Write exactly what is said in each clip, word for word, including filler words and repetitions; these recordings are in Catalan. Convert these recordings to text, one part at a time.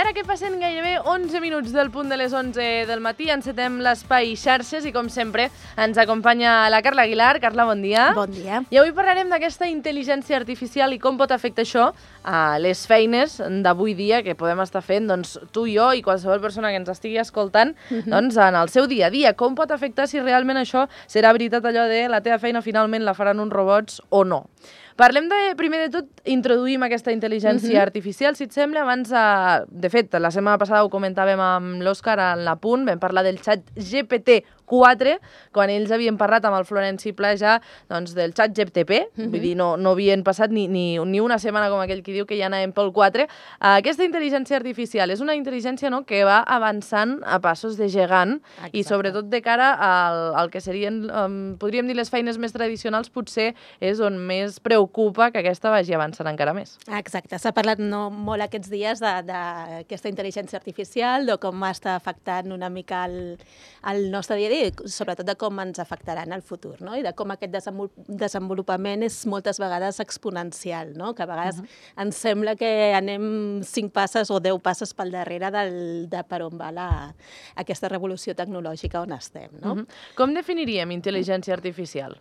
ara que passen gairebé onze minuts del punt de les onze del matí, encetem l'espai xarxes i, com sempre, ens acompanya la Carla Aguilar. Carla, bon dia. Bon dia. I avui parlarem d'aquesta intel·ligència artificial i com pot afectar això a les feines d'avui dia que podem estar fent, doncs, tu i jo i qualsevol persona que ens estigui escoltant, uh-huh. doncs, en el seu dia a dia. Com pot afectar si realment això serà veritat allò de la teva feina finalment la faran uns robots o no. Parlem de, primer de tot, introduïm aquesta intel·ligència uh-huh. artificial, si et sembla. Abans, eh, de fet, la setmana passada ho comentàvem amb l'Òscar en la Punt, vam parlar del xat G P T quatre, quan ells havien parlat amb el Florenci Pla ja doncs, del xat G P T, uh-huh. vull dir, no, no havien passat ni, ni, ni una setmana com aquell que diu que ja anàvem pel quatre. Uh, aquesta intel·ligència artificial és una intel·ligència, no?, que va avançant a passos de gegant. Exacte. I sobretot de cara al, al que serien, um, podríem dir, les feines més tradicionals, potser és on més preocupa que aquesta vagi avançant encara més. Exacte, s'ha parlat no, molt aquests dies d'aquesta intel·ligència artificial, de com està afectant una mica el, el nostre dia a dia, sobretot de com ens afectarà en el futur, no? I de com aquest desenvolupament és moltes vegades exponencial, no? Que a vegades uh-huh. ens sembla que anem cinc passes o deu passes pel darrere del, de per on va la, aquesta revolució tecnològica on estem, no? Uh-huh. Com definiríem intel·ligència artificial?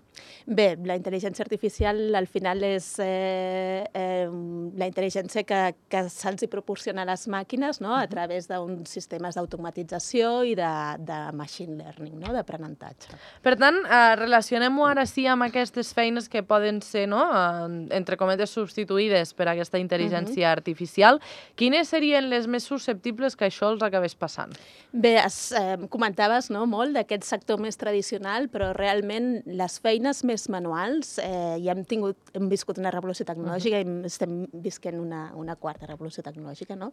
Bé, la intel·ligència artificial al final és eh, eh, la intel·ligència que, que se'ls proporciona a les màquines, no? A través d'uns sistemes d'automatització i de, de machine learning, no? D'aprenentatge. Per tant, eh, relacionem-ho ara sí amb aquestes feines que poden ser, no?, eh, entre cometes, substituïdes per aquesta intel·ligència uh-huh. artificial. Quines serien les més susceptibles que això els acabés passant? Bé, es, eh, comentaves, no?, molt d'aquest sector més tradicional, però realment les feines més manuals, eh, ja hem, tingut, hem viscut una revolució tecnològica uh-huh. i estem visquent una, una quarta revolució tecnològica, no?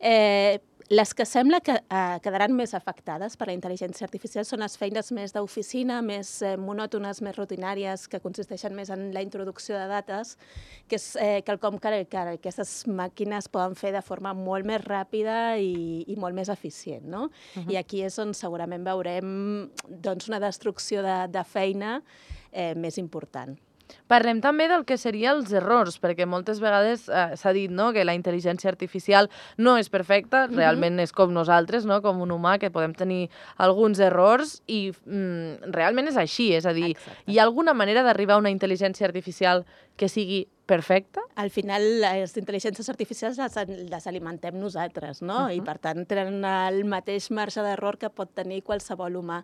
Eh, les que sembla que eh, quedaran més afectades per la intel·ligència artificial són les feines més d'oficina, més eh, monòtones, més rutinàries, que consisteixen més en la introducció de dates, que és eh, quelcom que, que aquestes màquines poden fer de forma molt més ràpida i, i molt més eficient, no? Uh-huh. I aquí és on segurament veurem doncs, una destrucció de, de feina eh, més important. Parlem també del que serien els errors, perquè moltes vegades eh, s'ha dit, no?, que la intel·ligència artificial no és perfecta, uh-huh. realment és com nosaltres, no?, com un humà, que podem tenir alguns errors i mm, realment és així, és a dir, exacte. Hi ha alguna manera d'arribar a una intel·ligència artificial que sigui perfecta? Al final, les intel·ligències artificials les, les alimentem nosaltres, no? Uh-huh. I, per tant, tenen el mateix marge d'error que pot tenir qualsevol humà.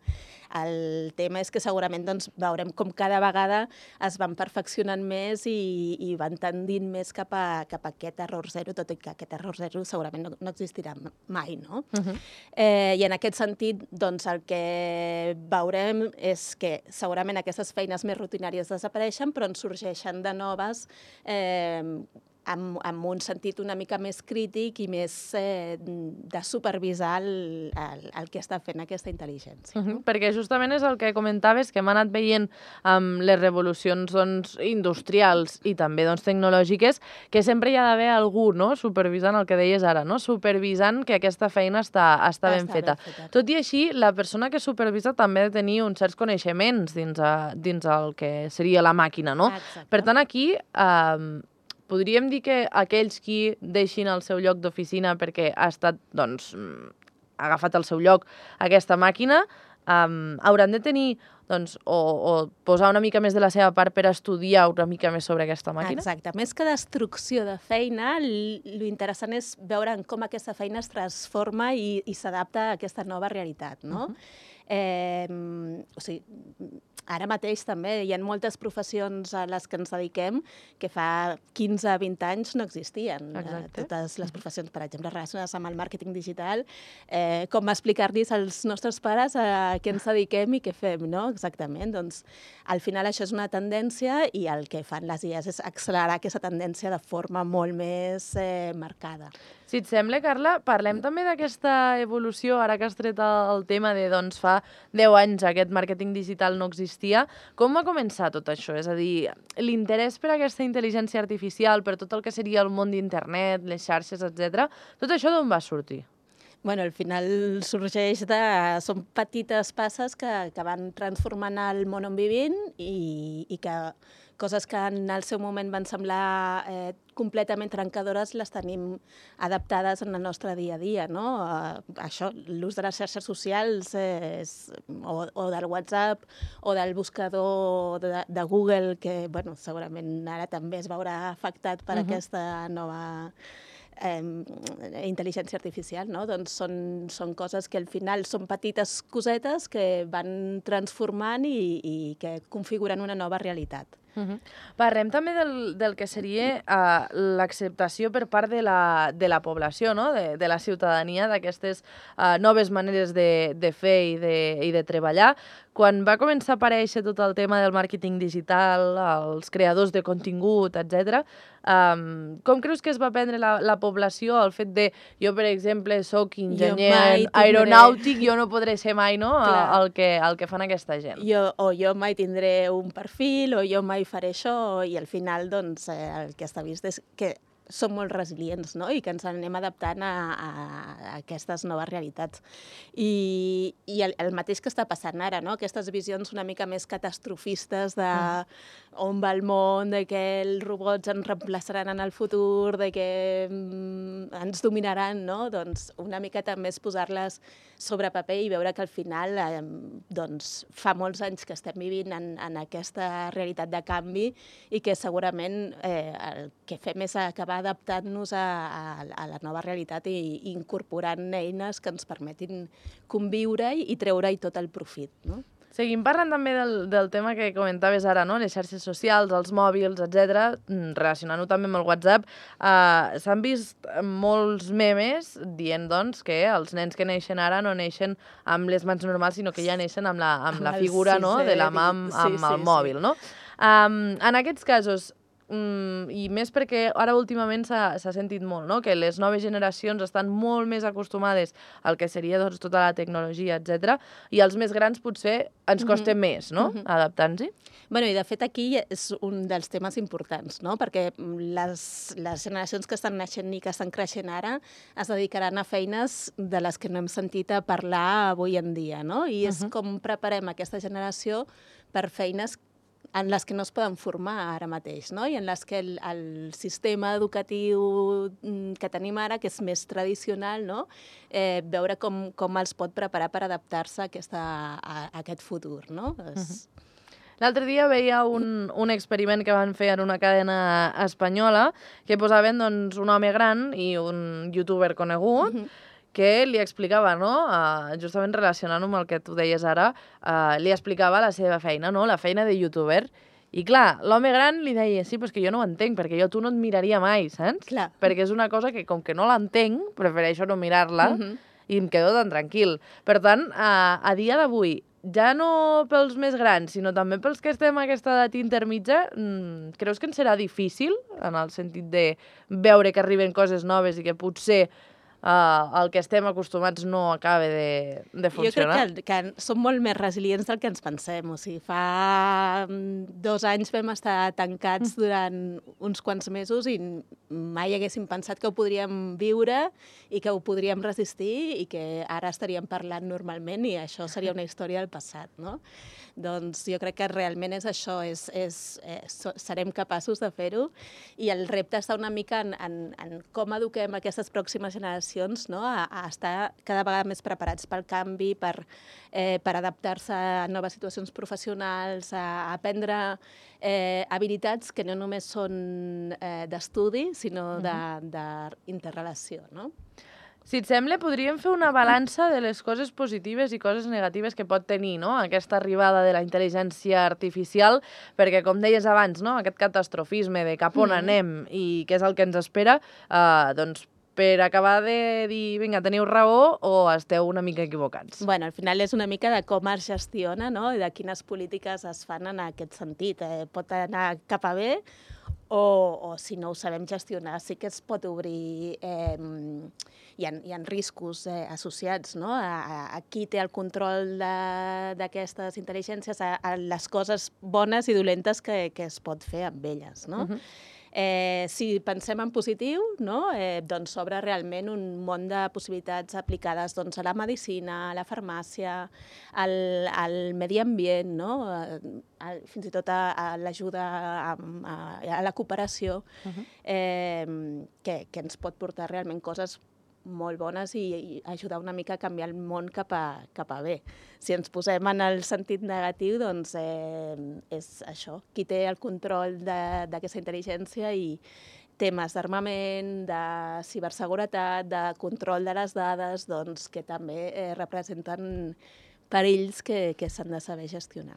El tema és que segurament doncs, veurem com cada vegada es van perfeccionant més i, i van tendint més cap a, cap a aquest error zero, tot i que aquest error zero segurament no, no existirà mai, no? Uh-huh. eh, I en aquest sentit, doncs, el que veurem és que segurament aquestes feines més rutinàries desapareixen, però en sorgeixen de noves eh, amb, amb un sentit una mica més crític i més eh, de supervisar el, el, el que està fent aquesta intel·ligència. Uh-huh. Perquè justament és el que comentaves, que hem anat veient amb les revolucions doncs, industrials i també doncs, tecnològiques, que sempre hi ha d'haver algú, no?, supervisant el que deies ara, no?, supervisant que aquesta feina està, està ben, està feta. ben feta. Tot i així, la persona que supervisa també ha de tenir uns certs coneixements dins, a, dins el que seria la màquina, no? Exacte. Per tant, aquí eh, podríem dir que aquells qui deixin el seu lloc d'oficina perquè ha estat, doncs, ha agafat el seu lloc aquesta màquina, um, hauran de tenir, doncs, o, o posar una mica més de la seva part per estudiar una mica més sobre aquesta màquina? Exacte. Més que destrucció de feina, l'interessant és veure com aquesta feina es transforma i, i s'adapta a aquesta nova realitat, no? Uh-huh. eh, o sigui, ara mateix també hi ha moltes professions a les que ens dediquem que fa quinze a vint anys no existien. Exacte. Totes les professions, per exemple, relacionades amb el màrqueting digital, eh, com explicar-los als nostres pares a què ens dediquem i què fem, no? Exactament. Doncs, al final això és una tendència i el que fan les I As és accelerar aquesta tendència de forma molt més eh, marcada. Si et sembla, Carla, parlem també d'aquesta evolució, ara que has tret el tema de, doncs, fa deu anys aquest màrqueting digital no existia. Com va començar tot això? És a dir, l'interès per aquesta intel·ligència artificial, per tot el que seria el món d'internet, les xarxes, etcètera, tot això d'on va sortir? Bueno, al final sorgeix de... Són petites passes que, que van transformant el món on vivim i, i que coses que en el seu moment van semblar eh, completament trencadores les tenim adaptades en el nostre dia a dia, no? Eh, això, l'ús de les xarxes socials és, o, o del WhatsApp o del buscador de, de Google, que bueno, segurament ara també es veurà afectat per uh-huh. aquesta nova eh, intel·ligència artificial, no? Doncs són, són coses que al final són petites cosetes que van transformant i, i que configuren una nova realitat. Uh-huh. Parlem també del, del que seria uh, l'acceptació per part de la, de la població, no? de, de la ciutadania, d'aquestes uh, noves maneres de, de fer i de, i de treballar. Quan va començar a aparèixer tot el tema del màrqueting digital, els creadors de contingut, etcètera, um, com creus que es va prendre la, la població el fet de, jo per exemple, soc enginyer aeronàutic, jo no podré ser mai, no?, el que, el que fan aquesta gent. Jo, o jo mai tindré un perfil, o jo mai faré això, i al final, doncs, eh, el que està vist és que som molt resilients, no?, i que ens anem adaptant a, a, a aquestes noves realitats. I, i el, el mateix que està passant ara, no?, aquestes visions una mica més catastrofistes de mm. on va el món, de que els robots ens reemplaçaran en el futur, de que mm, ens dominaran, no?, doncs una mica també és posar-les sobre paper i veure que al final eh, doncs, fa molts anys que estem vivint en, en aquesta realitat de canvi i que segurament eh, el que fem és acabar adaptant-nos a, a, a la nova realitat i, i incorporant eines que ens permetin conviure-hi i treure-hi tot el profit, no? Seguim parlant també del, del tema que comentaves ara, no? Les xarxes socials, els mòbils, etcètera, relacionant-ho també amb el WhatsApp. Uh, S'han vist molts memes dient, doncs, que els nens que neixen ara no neixen amb les mans normals, sinó que ja neixen amb la, amb la figura, no?, de la mà amb, amb el mòbil, no? Um, en aquests casos, Mm, i més perquè ara últimament s'ha sentit molt, no?, que les noves generacions estan molt més acostumades al que seria doncs, tota la tecnologia, etcètera, i els més grans potser ens costa mm-hmm. més, no?, mm-hmm. adaptant-s'hi. Bueno, i de fet aquí és un dels temes importants, no?, perquè les, les generacions que estan naixent i que estan creixent ara es dedicaran a feines de les que no hem sentit a parlar avui en dia, no?, i és mm-hmm. com preparem aquesta generació per feines en les que no es poden formar ara mateix, no?, i en les que el, el sistema educatiu que tenim ara, que és més tradicional, no?, eh, veure com, com els pot preparar per adaptar-se a, aquesta, a, a aquest futur, no? És... Uh-huh. L'altre dia veia un, un experiment que van fer en una cadena espanyola que posaven doncs, un home gran i un youtuber conegut, uh-huh. que li explicava, no?, uh, justament relacionant-ho amb el que tu deies ara, uh, li explicava la seva feina, no?, la feina de youtuber. I clar, l'home gran li deia, sí, però és que jo no ho entenc, perquè jo tu no et miraria mai, saps? Clar. Perquè és una cosa que, com que no l'entenc, prefereixo no mirar-la uh-huh. i em quedo tan tranquil. Per tant, uh, a dia d'avui, ja no pels més grans, sinó també pels que estem a aquesta edat intermitja, mmm, creus que ens serà difícil, en el sentit de veure que arriben coses noves i que potser Uh, el que estem acostumats no acaba de, de funcionar? Jo crec que, que som molt més resilients del que ens pensem. O sigui, fa dos anys vam estar tancats durant uns quants mesos i mai haguéssim pensat que ho podríem viure i que ho podríem resistir i que ara estaríem parlant normalment i això seria una història del passat, no? Doncs jo crec que realment és això, és, és, és, serem capaços de fer-ho i el repte està una mica en, en, en com eduquem aquestes pròximes generacions, no?, a, a estar cada vegada més preparats pel canvi, per, eh, per adaptar-se a noves situacions professionals, a, a aprendre eh, habilitats que no només són eh, d'estudi, sinó uh-huh. d'interrelació, no? Si et sembla, podríem fer una balança de les coses positives i coses negatives que pot tenir, no?, aquesta arribada de la intel·ligència artificial, perquè, com deies abans, no?, aquest catastrofisme de cap on mm. anem i què és el que ens espera, eh, doncs, per acabar de dir, vinga, teniu raó o esteu una mica equivocats? Bueno, al final és una mica de com es gestiona, no?, i de quines polítiques es fan en aquest sentit. Eh, pot anar cap a bé o, o si no ho sabem gestionar, sí que es pot obrir... Eh, hi ha, hi ha riscos eh, associats, no?, a, a, a qui té el control d'aquestes intel·ligències, a, a les coses bones i dolentes que, que es pot fer amb elles, no? Uh-huh. Eh, si pensem en positiu, no? eh, doncs s'obre realment un món de possibilitats aplicades doncs, a la medicina, a la farmàcia, al, al medi ambient, no? a, a, fins i tot a, a l'ajuda, a, a, a la cooperació, uh-huh. eh, que, que ens pot portar realment coses molt bones i, i ajudar una mica a canviar el món cap a, cap a bé. Si ens posem en el sentit negatiu, doncs eh, és això, qui té el control d'aquesta intel·ligència i temes d'armament, de ciberseguretat, de control de les dades, doncs que també eh, representen perills que, que s'han de saber gestionar.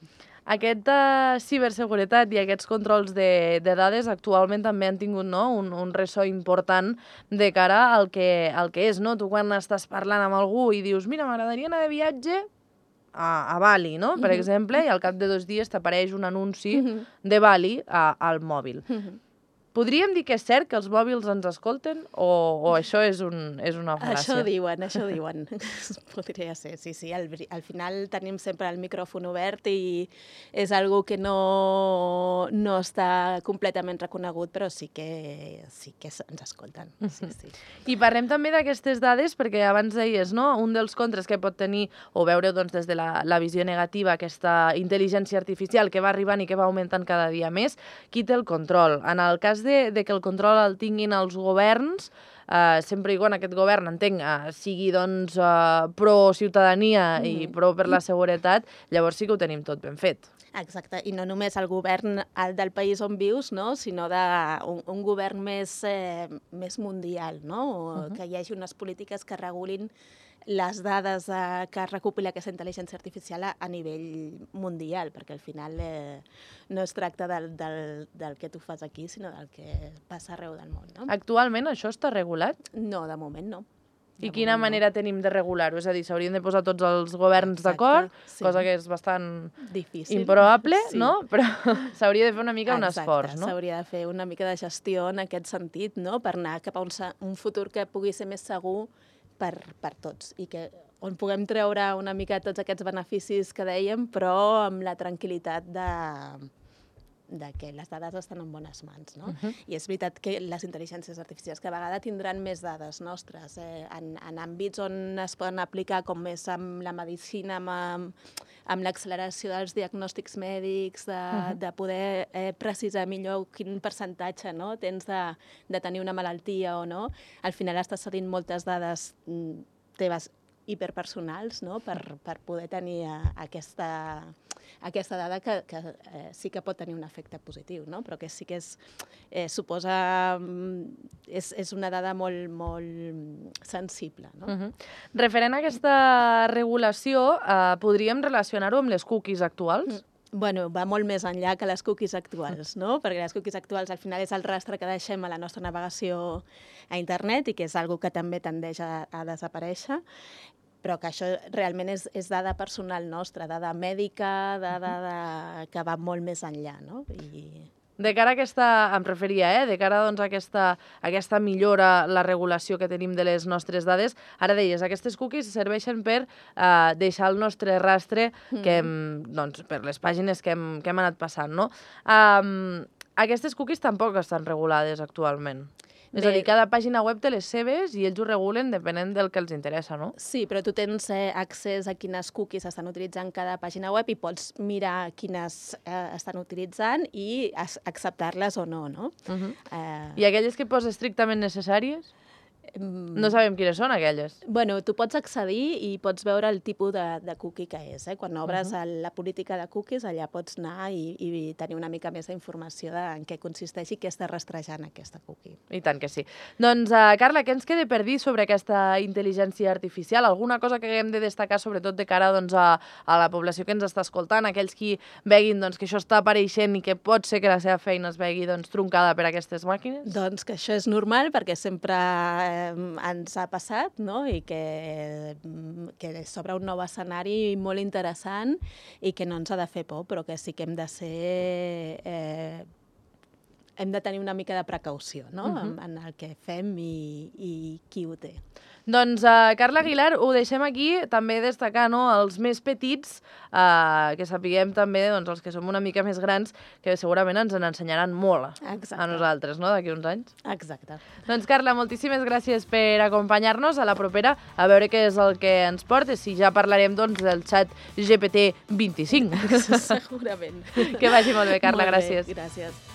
Aquesta ciberseguretat i aquests controls de, de dades actualment també han tingut, no, un, un ressò important de cara al que, al que és. No? Tu quan estàs parlant amb algú i dius mira, m'agradaria anar de viatge a, a Bali, no? per uh-huh. exemple, i al cap de dos dies t'apareix un anunci uh-huh. de Bali a, al mòbil. Uh-huh. Podríem dir que és cert que els mòbils ens escolten o, o això és, un, és una fal·làcia? Això diuen, això diuen. Podria ser, sí, sí. Al, al final tenim sempre el micròfon obert i és algo que no, no està completament reconegut, però sí que, sí que ens escolten. Sí, sí. I parlem també d'aquestes dades, perquè abans deies, no? Un dels contres que pot tenir, o veure doncs, des de la, la visió negativa, aquesta intel·ligència artificial que va arribant i que va augmentant cada dia més, qui té el control? En el cas de, de que el control el tinguin els governs, eh, sempre i quan aquest govern, entenc, eh, sigui doncs, eh, pro-ciutadania mm. i pro per la seguretat, llavors sí que ho tenim tot ben fet. Exacte, i no només el govern el del país on vius, no? sinó de un, un govern més, eh, més mundial, no? Uh-huh. que hi hagi unes polítiques que regulin les dades eh, que recopila aquesta intel·ligència artificial a, a nivell mundial, perquè al final eh, no es tracta del, del, del que tu fas aquí, sinó del que passa arreu del món. No? Actualment això està regulat? No, de moment no. I quina manera no. tenim de regular-ho? És a dir, s'haurien de posar tots els governs d'acord, sí. cosa que és bastant difícil, improbable, sí. no? Però s'hauria de fer una mica Exacte, un esforç, no? S'hauria de fer una mica de gestió en aquest sentit, no? Per anar cap a un, un futur que pugui ser més segur per, per tots i que on puguem treure una mica tots aquests beneficis que dèiem, però amb la tranquil·litat de, de que les dades estan en bones mans. No? Uh-huh. I és veritat que les intel·ligències artificials cada vegada tindran més dades nostres eh, en, en àmbits on es poden aplicar, com més amb la medicina, amb, amb l'acceleració dels diagnòstics mèdics, de, uh-huh. de poder eh, precisar millor quin percentatge no? tens de, de tenir una malaltia o no. Al final estàs cedint moltes dades teves hiperpersonals no? per, per poder tenir aquesta, aquesta dada que, que eh, sí que pot tenir un efecte positiu, no? Però que sí que és, eh, suposa... És, és una dada molt, molt sensible. No? Uh-huh. Referent a aquesta regulació, eh, podríem relacionar-ho amb les cookies actuals? Mm. Bueno, va molt més enllà que les cookies actuals, no? Perquè les cookies actuals al final és el rastre que deixem a la nostra navegació a internet i que és algo que també tendeix a, a desaparèixer, però que això realment és, és dada personal nostra, dada mèdica, dada de, que va molt més enllà, no? I... De cara a aquesta, em referia, eh? de cara doncs, a aquesta, a aquesta millora, la regulació que tenim de les nostres dades, ara deies, aquestes cookies serveixen per eh, deixar el nostre rastre que hem, doncs, per les pàgines que hem, que hem anat passant. No? Um, aquestes cookies tampoc estan regulades actualment. És Bé, a dir, cada pàgina web té les seves i ells ho regulen depenent del que els interessa, no? Sí, però tu tens eh, accés a quines cookies estan utilitzant cada pàgina web i pots mirar quines eh, estan utilitzant i acceptar-les o no, no? Uh-huh. eh... I aquelles que posa estrictament necessàries? No sabem quines són aquelles. Bueno, tu pots accedir i pots veure el tipus de, de cookie que és. Eh? Quan obres uh-huh. la política de cookies, allà pots anar i, i tenir una mica més d'informació de en què consisteix i què està rastrejant aquesta cookie. I tant que sí. Doncs, uh, Carla, què ens queda per dir sobre aquesta intel·ligència artificial? Alguna cosa que haguem de destacar, sobretot de cara doncs, a, a la població que ens està escoltant, aquells qui veguin doncs, que això està apareixent i que pot ser que la seva feina es vegi doncs, truncada per aquestes màquines? Doncs que això és normal, perquè sempre eh, ens ha passat, no? I que, que s'obre un nou escenari molt interessant i que no ens ha de fer por, però que sí que hem de ser... Eh, hem de tenir una mica de precaució, no?, Mhm. en, en el que fem i, i qui ho té. Doncs, uh, Carla Aguilar, ho deixem aquí, també destacar, no?, els més petits, uh, que sapiguem també, doncs, els que som una mica més grans, que segurament ens n'ensenyaran molt Exacte. a nosaltres, no?, d'aquí uns anys. Exacte. Doncs, Carla, moltíssimes gràcies per acompanyar-nos. A la propera, a veure què és el que ens porta, si ja parlarem, doncs, del xat G P T vint-i-cinc. Segurament. Que vagi molt bé, Carla, Molt bé, gràcies. gràcies.